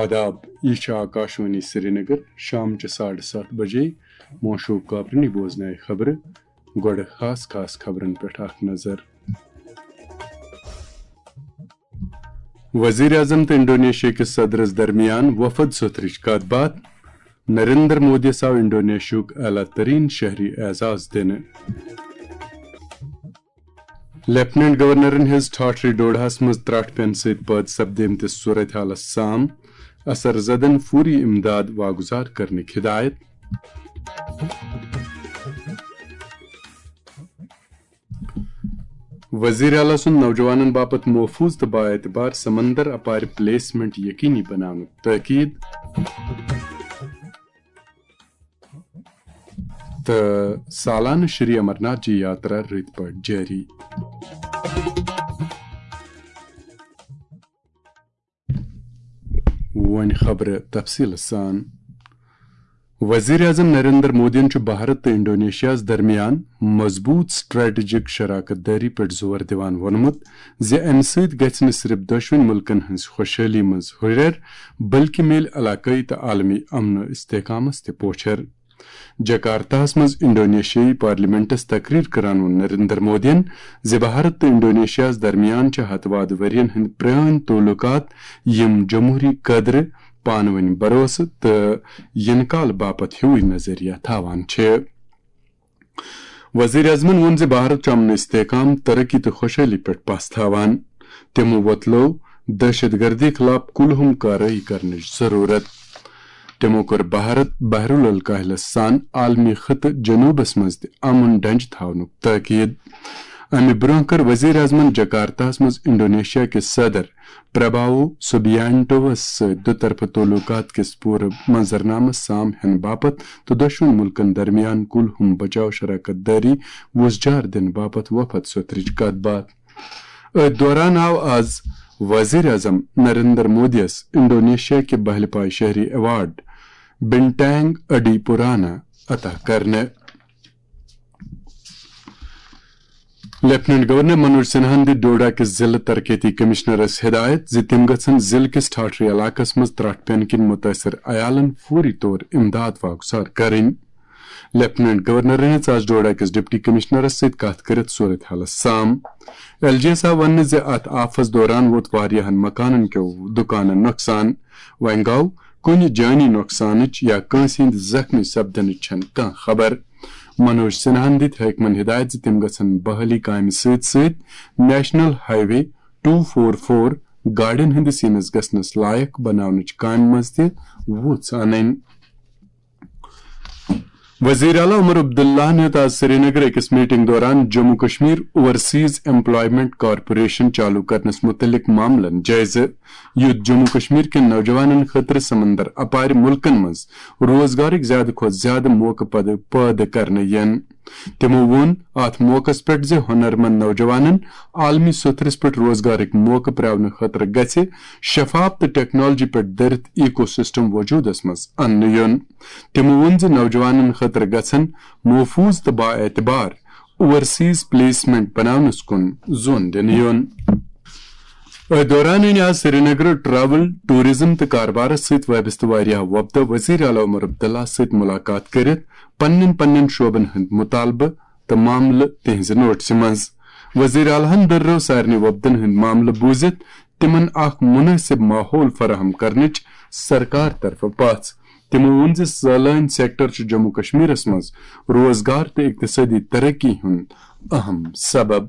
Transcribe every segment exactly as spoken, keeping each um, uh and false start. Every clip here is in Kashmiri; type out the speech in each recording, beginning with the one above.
آداب، یہِ چھِ آکاشوانی سرینگر۔ شام چہِ ساڑٕ ستھ بجے موشوق کاپرنی بوزنایہِ خبرٕ۔ گۄڈٕ خاص خاص خبرن پٮ۪ٹھ اکھ نظر۔ وزیر اعظم تہٕ انڈونیشیا کِس صدرس درمیان وفد سوٚتھرٕچ کتھ باتھ۔ نریندر مودیَس آو انڈونیشیاہُک اعلیٰ ترین شہری اعزاز دِنہٕ۔ لیفٹیننٹ گورنرن ہیٚژ ٹھاٹھرِ ڈوڈاہس منٛز ترٛٹھ پینہٕ سۭتۍ پٲدٕ سپدیمتِس صورتحالس سام اثر زدن فوری امداد واگزار کرنٕکۍ ہدایت۔ وزیر اعلیٰ سُنٛد نوجوانن باپتھ محفوظ تہٕ بااعتبار سمندر اپارِ پلیسمنٹ یقینی بناونُک تاکید۔ تہٕ سالانہٕ شری امرناتھ جی یاترا رٕتۍ پٲٹھۍ جٲری۔ وۄنۍ خبرٕ تفصیٖلہٕ سان۔ وزیر اعظم نریندر مودیَن چھُ بھارت تہٕ انڈونیشیاہَس درمیان مضبوٗط سٹریٹجک شراکت دٲری پٮ۪ٹھ زور دِوان ووٚنمُت زِ اَمہِ سۭتۍ گژھِ نہٕ صرف دۄشوٕنۍ مُلکَن ہٕنٛز خۄشحٲلی منٛز ہُرٮ۪ر، بلکہِ میلہِ علاقٲیی تہٕ عالمی امن و استحکامَس تہِ پوچھر۔ جکارتاہَس منٛز انڈونیشیائی پارلیمنٹَس تقریر کران ووٚن نریندر مودیَن زِ بھارت تہٕ انڈونیشیاہَس درمیان چھِ ہتہٕ وادٕ ؤرین ہٕنٛدۍ پرٲنۍ تعلقات، یِم جمہوری قدرٕ، پانہٕ ؤنۍ بھروسہٕ تہٕ یِنہٕ کال باپتھ ہیوٗے نظریہ تھاوان چھِ۔ وزیر اعظمَن ووٚن زِ بھارت چھُ امن استحکام، ترقی تہٕ خۄشحٲلی پٮ۪ٹھ پَژھ تھاوان۔ تِمو وۄتلٲو دہشت گردی خلاف کُلہُم کاروٲیی کرنٕچ ضروٗرت۔ تِمو کٔر بھارت بحر الکاہلس سان عالمی خطہٕ جنوٗبس منٛز تہِ امن ڈنجہِ تھاونُک تاکید۔ امہِ برٛونٛہہ کٔر وزیر اعظمن جکارتاہس منٛز انڈونیشیا کِس صدر پرباوو سوبیانٹووس سۭتۍ دُطرفہٕ تعلقات کِس پوٗرٕ منظرنامس سام ہینہٕ باپتھ تہٕ دۄشوٕنی مُلکن درمیان کُلہُم بچاو شراکت دٲری وُژھ جار دِنہٕ باپتھ وفد سوٚتھرٕچ کتھ باتھ۔ أتھۍ دوران آو آز وزیر اعظم نریندر مودیَس انڈونیشیا کہِ بہلہِ پایہِ شہری ایوارڈ بنٹانگ اڈی پورانا عطا کرنہٕ۔ لیفٹیننٹ گورنر منوج سنہاہن دِژ ڈوڈا کِس ضلع ترقیتی کمشنرس ہدایت زِ تِم گژھن ضلع کِس ٹھاٹھرِ علاقس منٛز ترٹھ پینہٕ کِنۍ متٲثر عیالن فوری طور امداد واگزار کرٕنۍ۔ لیفٹیننٹ گورنرن ہیٚژ آز ڈوڈا کِس ڈپٹی کمشنرس سۭتۍ کتھ کٔرِتھ صورت حالس سام۔ ایل جی یس آو وننہٕ زِ اتھ آفس دوران ووت واریاہن مکانن کیو دُکانن نۄقصان۔ وۄنۍ گوٚو کُنہِ جٲنی نۄقصانٕچ یا کٲنٛسہِ ہٕنٛدِ زخمی سپدنٕچ چھنہٕ کانٛہہ خبر۔ منوج سنہاہن دِتۍ حٲکمن ہدایت زِ تِم گژھن بحالی کامہِ سۭتۍ سۭتۍ national highway two four four گاڑٮ۪ن ہٕنٛدِس یِنس گژھنس لایق بناونٕچ کامہِ منٛز تہِ وُژھ انٕنۍ۔ وزیر اعلیٰ عمر عبداللہ ہن ہیوٚت آز سرینگر أکِس میٹنگ دوران Jammu Kashmir overseas employment corporation چالو کرنس متعلق معاملن جٲیزٕ، یُتھ جموں کشمیر کٮ۪ن نوجوانن خٲطرٕ سمندر اپارِ ملکن منٛز روزگارٕکۍ زیادٕ کھۄتہٕ زیادٕ موقعہٕ پد-، پٲدٕ کرنہٕ یِن۔ تِمو ووٚن اتھ موقعس پٮ۪ٹھ زِ ہُنرمند نوجوانن عالمی سوٚتھرِس پٮ۪ٹھ روزگارٕکۍ موقعہٕ پراونہٕ خٲطرٕ گژھِ شفاف تہٕ ٹیکنالوجی پٮ۪ٹھ دٔرِتھ ایکو سسٹم وجودس منٛز اننہٕ یُن۔ تِمو ووٚن زِ نوجوانن خٲطرٕ گژھن محفوظ تہٕ با اعتبار اوورسیز پلیسمنٹ بناونس کُن زون دِنہٕ یُن۔ أتھۍ دوران أنۍ آز سرینگر ٹریول، ٹورازم تہٕ کاربارس سۭتۍ وابستہٕ واریاہ وۄپدٕ وزیر اعلیٰ عمر عبداللہ سۭتۍ ملاقات کٔرِتھ پننٮ۪ن پننٮ۪ن شعبن ہٕنٛدۍ مطالبہٕ تہٕ معاملہٕ تِہنٛزِ نوٹسہِ منٛز۔ وزیر اعلیٰ ہن دٔررٲو سارنٕے وۄپدن ہٕنٛدۍ معاملہٕ بوٗزِتھ تِمن اکھ مناسب ماحول فراہم کرنٕچ سرکار طرفہٕ پژھ۔ تِمو ووٚن زِ سٲلٲنۍ سیکٹر چھُ جموں کشمیرس منٛز روزگار تہٕ اقتصٲدی ترقی ہُنٛد اہم سبب۔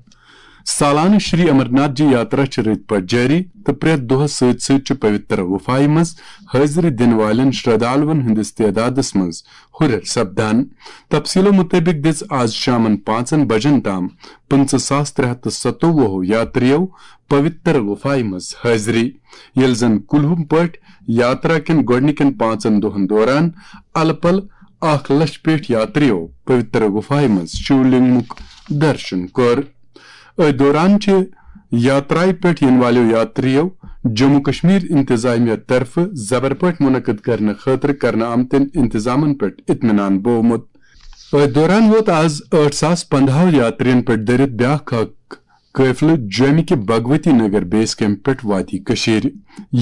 سالانہٕ شری امرناتھ جی یاترا چھِ رٕتۍ پٲٹھۍ جٲری تہٕ پرٛٮ۪تھ دۄہَس سۭتۍ سۭتۍ چھُ پویتر گُفایہِ منٛز حٲضری دِنہٕ والٮ۪ن شردالوَن ہٕنٛدِس تعدادَس منٛز ہُرٮ۪ر سپدان۔ تفصیٖلو مُطٲبِق دِژ آز شامَن پانٛژَن بجن تام پٕنٛژٕہ ساس ترٛےٚ ہَتھ تہٕ ستووُہ یاترِیو پویتر گُفایہِ منٛز حٲضری، ییٚلہِ زَن کُلہُم پٲٹھۍ یاترا کٮ۪ن گۄڈٕنِکٮ۪ن پانٛژَن دۄہَن دوران الہٕ پلہٕ اکھ لچھ پٮ۪ٹھ یاترِیو پویتر گُفایہِ منٛز شیولنگمُک درشن کوٚر۔ أتھۍ دوران چھِ یاترایہِ پٮ۪ٹھ یِنہٕ والٮ۪و یاترِیو جموں کشمیر انتظامیہ طرفہٕ زبر پٲٹھۍ منعقد کرنہٕ خٲطرٕ کرنہٕ آمتٮ۪ن انتظامن پٮ۪ٹھ اطمینان بوومُت۔ أتھۍ دوران ووت آز ٲٹھ ساس پندہو یاترِین پٮ۪ٹھ دٔرِتھ بیاکھ اکھ قٲفلہٕ جوٚمہِ کہِ بھگوتی نگر بیس کیمپ پٮ۪ٹھ وادی کٔشیٖرِ۔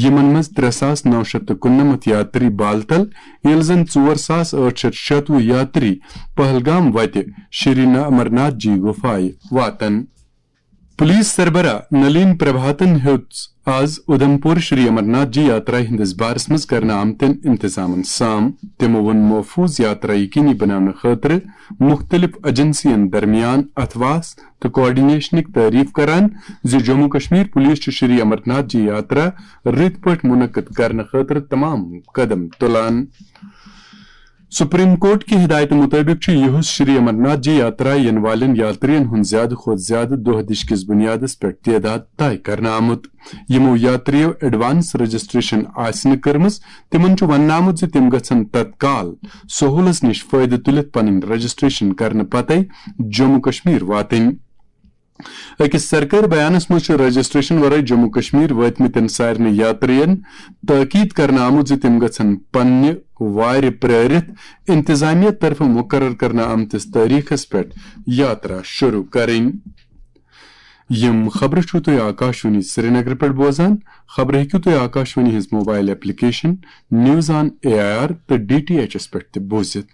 یِمن منٛز ترٛےٚ ساس نَو شیٚتھ تہٕ کُننَمَتھ یاتری بالتل، ییٚلہِ زن ژور ساس ٲٹھ شیٚتھ شَتوُہ یاتری پہلگام وتہِ شری ن-، امرناتھ جی گُفایہِ واتن۔ پولیس سربراہ نلین پربھاتن ہیوٚت آز اُدھمپور شری امرناتھ جی یاترا ہٕنٛدِس بارس منٛز کرنہٕ آمتٮ۪ن انتظامن سام۔ تِمو ووٚن محفوظ یاترا یقینی بناونہٕ خٲطرٕ مُختٔلِف ایجنسین درمیان اتھواس تہٕ کوآرڈینیشنٕکۍ تعریف کران زِ جموں کشمیر پولیس چھُ شری امرناتھ جی یاترا رٕتۍ پٲٹھۍ منعقد کرنہٕ خٲطرٕ تمام قدم تُلان۔ سپریم کورٹ کہِ ہدایتہٕ مُطٲبِق چھُ یِہُس شری امرناتھ جی یاترا یِنہٕ والٮ۪ن یاترین ہُنٛد زیادٕ کھۄتہٕ زیادٕ دۄہ دِشکِس بُنیادس پٮ۪ٹھ تعداد طے کرنہٕ آمُت۔ یِمو یاتریو ایڈوانس رجسٹریشن آسہِ نہٕ کٔرمٕژ، تِمن چھُ وننہٕ آمُت زِ تِم گژھن تتکال سہولس نِش فٲیدٕ تُلِتھ پنٕنۍ رجسٹریشن کرنہٕ پتے جموں کشمیر واتٕنۍ۔ أکِس سرکٲرۍ بیانس منٛز چھُ رجسٹریشن ورٲے جموں کشمیر وٲتمٕتٮ۪ن سارنٕے یاترین تٲکید کرنہٕ آمُت زِ تِم گژھن پننہِ وارِ پرٲرِتھ انتظامیہ طرفہٕ مقرر کرنہٕ آمتِس تٲریخس پٮ۪ٹھ یاترا شروع کرٕنۍ۔ یِم خبرٕ چھِو تُہۍ آکاشوانی سرینگر پٮ۪ٹھ بوزان۔ خبرٕ ہیٚکِو تُہۍ آکاشوانی ہٕنٛز mobile application news on A I R تہٕ ڈی ٹی ایچ ایس پٮ۪ٹھ تہِ بوٗزِتھ۔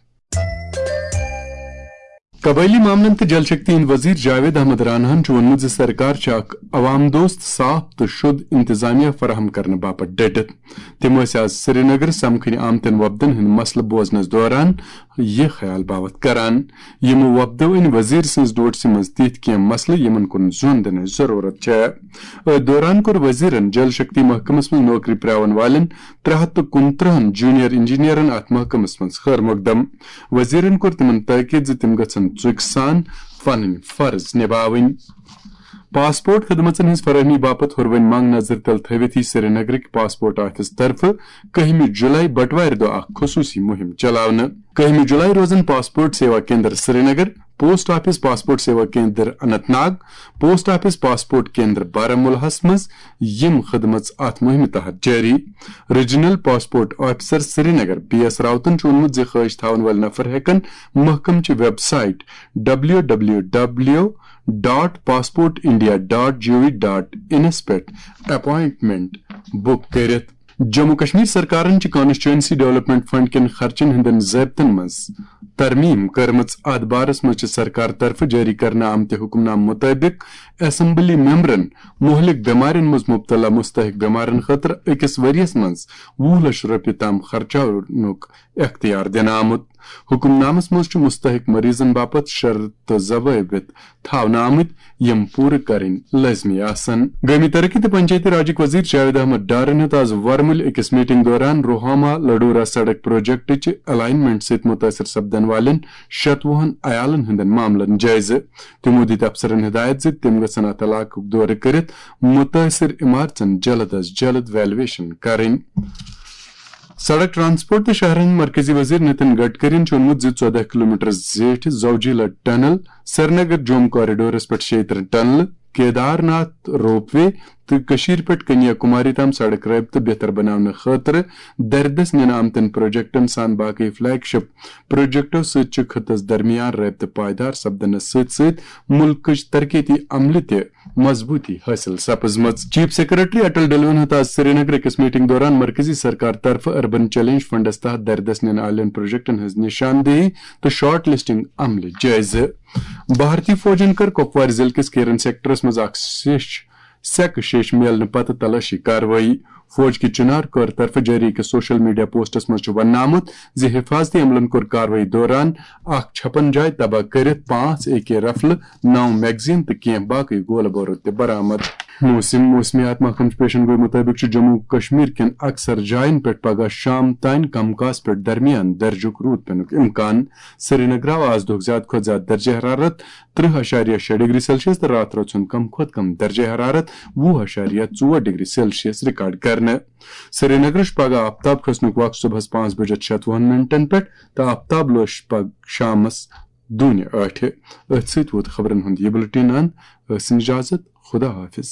قبٲیلی معاملن تہٕ جل شکتی ہٕنٛدۍ وزیر جاوید احمد راناہن چھُ ووٚنمُت زِ سرکار چھِ اکھ عوام دوست، صاف تہٕ شُد انتظامیہ فراہم کرنہٕ باپتھ ڈٔٹِتھ۔ تِم ٲسۍ آز سرینگر سمکھٕنۍ آمتٮ۪ن وۄپدن ہٕنٛدۍ مسلہٕ بوزنس دوران یہِ خیال باوتھ کران۔ یِمو وۄپدو أنۍ وزیر سٕنٛز نوٹسہِ منٛز تِتھۍ کینٛہہ مسلہٕ، یِمن کُن زون دِنٕچ ضروٗرت چھےٚ۔ أتھۍ دوران کوٚر وزیرن جل شکتی محکمس منٛز نوکری پرٛاون والٮ۪ن ترٛےٚ ہتھ تہٕ کُنترٕہن جونیئر انجینئرن اتھ محکمس منٛز خٲر مقدم۔ وزیرن کوٚر تِمن تاکید زِ تِم گژھن ژُکۍ سان پنٕنۍ فرض نباوٕنۍ۔ پاسپورٹ خدمژن ہٕنٛز فراہمی باپتھ ہُروٕنۍ منگ نظر تل تھٲوِتھ یی سرینگرٕکۍ پاسپورٹ آفس طرفہٕ کٔہمہِ جُلای بٹوارِ دۄہ اکھ خصوٗصی مُہِم چلاونہٕ۔ کٔہمہِ جُلای روزن passport Seva Kendra Srinagar, post office passport Seva Kendra Anant Nag, post office passport Kendra بارہمولہس منٛز یِم خدمژ اتھ مُہِمہِ تحت جٲری۔ Regional passport officer Srinagar B S راوتن چھُ ووٚنمُت زِ خٲہِش تھاون وٲلۍ نفر ہٮ۪کن محکمہٕ چہِ website W W W dot passport India dot G O V dot انس پٮ۪ٹھ اپوائنٹمنٹ بُک کٔرِتھ۔ جموں کشمیر سرکارن چھِ کانسٹیچوئنسی ڈیولپمنٹ فنڈ کٮ۪ن خرچن ہٕنٛدٮ۪ن ضٲبطن منٛز ترمیم کٔرمٕژ۔ اتھ بارس منٛز چھِ سرکار طرفہٕ جٲری کرنہٕ آمتہِ حکم نامہٕ مُطٲبِق اسمبلی ممبرن مہلک بٮ۪مارٮ۪ن منٛز مبتلا مستحق بٮ۪مارن خٲطرٕ أکِس ؤرِیَس منٛز وُہ لچھ رۄپیہِ تام خرچاونُک اختیار دِنہٕ آمُت۔ حکم نامس منٛز چھُ مستحق مریضن باپتھ شرط تہٕ ضوابط تھاونہٕ آمٕتۍ، یِم پوٗرٕ کرٕنۍ لٲزمی آسن۔ گٲمی ترقی تہٕ پنچایتی راجٕکۍ وزیر جاوید احمد ڈارن ہیوٚت آز ورمُلہِ أکِس میٹنگ دوران روہاما لڈورہ سڑک پروجیکٹٕچ الائنمنٹ سۭتۍ مُتٲثر سپدن والٮ۪ن شتوُہن عیالن ہٕنٛدٮ۪ن معاملن جٲیزٕ۔ تِمو دِتۍ افسرن ہدایت زِ تِم گژھن اتھ علاقُک دورٕ کٔرِتھ مُتٲثر عمارژن جلد از جلد ویلیویشن کرٕنۍ۔ سڑک ٹرانسپورٹ تہٕ شہرن ہٕنٛدۍ مرکزی وزیر نتن گڈکرین چھُ ووٚنمُت زِ ژۄدہ کلومیٹر زیٹھِ زوجیلا ٹنل، سرینگر جوم کوریڈورس پٮ۪ٹھ شیٚیہِ ترٕہ ٹنلہٕ، کیدار ناتھ روپ وے تہٕ کٔشیٖرِ پٮ۪ٹھ کنیا کماری تام سڑک رٲبطہٕ بہتر بناونہٕ خٲطرٕ دردس نِنہٕ آمتٮ۪ن پروجیکٹن سان باقٕے فلیگ شپ پروجیکٹو سۭتۍ چھُ خطس درمیان رٲبطہٕ پائیدار سپدنس سۭتۍ سۭتۍ مُلکٕچ ترقیتی عملہِ تہِ مضبوٗطی حٲصِل سپٕزمٕژ۔ چیف سیکرٹری اٹل ڈلون ہیوٚت آز سرینگر أکِس میٹنگ دوران مرکزی سرکار طرفہٕ اربن چیلنج فنڈس تحت دردس نِنہٕ آلٮ۪ن پروجیکٹن ہٕنٛز نشاندہی تہٕ شارٹ لسٹنگ عملہِ جٲیزٕ۔ بھارتی فوجن کٔر کپوارِ ضلعہٕ کِس کیرن سیکٹرس منٛز اکھ سیٚچھ، سیکہٕ شیٚچھ میلنہٕ پتہٕ تلٲشی کاروٲیی۔ فوج کہِ چنار کور طرفہٕ جٲری أکِس سوشل میڈیا پوسٹس منٛز چھُ وننہٕ آمُت زِ حفاظتی عملن کوٚر کاروٲیی دوران اکھ چھپن جاے تباہ کٔرِتھ پانٛژھ اے کے رفلہٕ، نو میگزین تہٕ کینٛہہ باقٕے گولہٕ بارود تہِ برآمد۔ موسم۔ موسمیات محکمہٕ چہِ پیشن گوئی مُطٲبِق چھُ جموں و کشمیر کٮ۪ن اکثر جاین پٮ۪ٹھ پگہہ شام تام کم کاس پٮ۪ٹھ درمیان درجُک روٗد پینُک امکان۔ سرینگر آو آز دۄہُک زیادٕ کھۄتہٕ زیادٕ درجہ حرارت ترٕہ اعشاریہ شےٚ ڈگری سیلسیس تہٕ راتھ رٲژ ہُنٛد کم کھۄتہٕ کم درجہ حرارت وُہ اعشاریہ ژور ڈگری سیلسیس ریکارڈ کرنہٕ۔ سرینگرس چھُ پگہہ آفتاب کھسنُک وقت صبحس پانٛژھ بجے شتوُہن منٹن پٮ۪ٹھ تہٕ آفتاب لوش پگہہ شامس دوٗنہِ ٲٹھِ۔ أتھۍ سۭتۍ ووت خبرن ہُنٛد یہِ بُلٹن اند۔ ٲسِن اجازت۔ خدا حافظ۔